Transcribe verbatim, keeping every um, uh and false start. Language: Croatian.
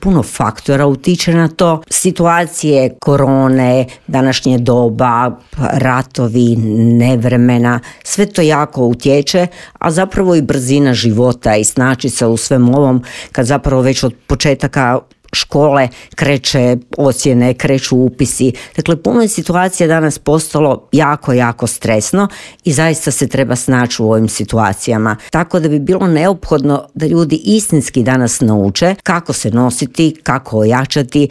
Puno faktora utiče na to. Situacije korone, današnje doba, ratovi, nevremena, sve to jako utječe, a zapravo i brzina života i snaći se u svem ovom, kad zapravo već od početaka škole kreće ocjene, kreću upisi. Dakle, puno je situacija danas postalo jako, jako stresno i zaista se treba snaći u ovim situacijama. Tako da bi bilo neophodno da ljudi istinski danas nauče kako se nositi, kako ojačati